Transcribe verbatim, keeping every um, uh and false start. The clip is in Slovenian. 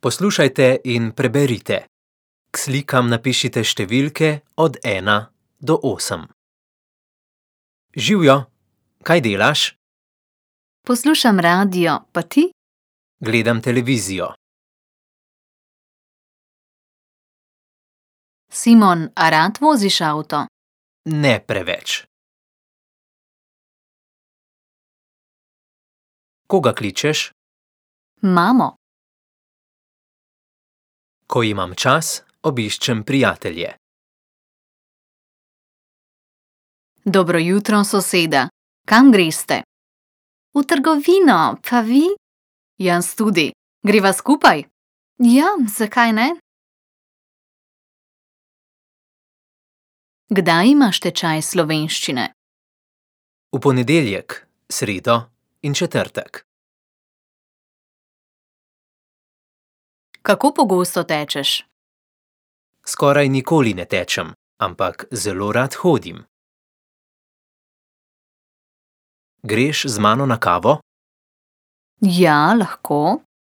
Poslušajte in preberite. K slikam napišite številke od ena do osem. Živjo, kaj delaš? Poslušam radio, pa ti? Gledam televizijo. Simon, a rad voziš avto? Ne preveč. Koga kličeš? Mamo. Ko imam čas, obiščem prijatelje. Dobro jutro, soseda. Kam greste? V trgovino, pa vi? Jaz tudi. Greva skupaj? Ja, zakaj ne? Kdaj imaš tečaj slovenščine? V ponedeljek, sredo in četrtek. Kako pogosto tečeš? Skoraj nikoli ne tečem, ampak zelo rad hodim. Greš z mano na kavo? Ja, lahko.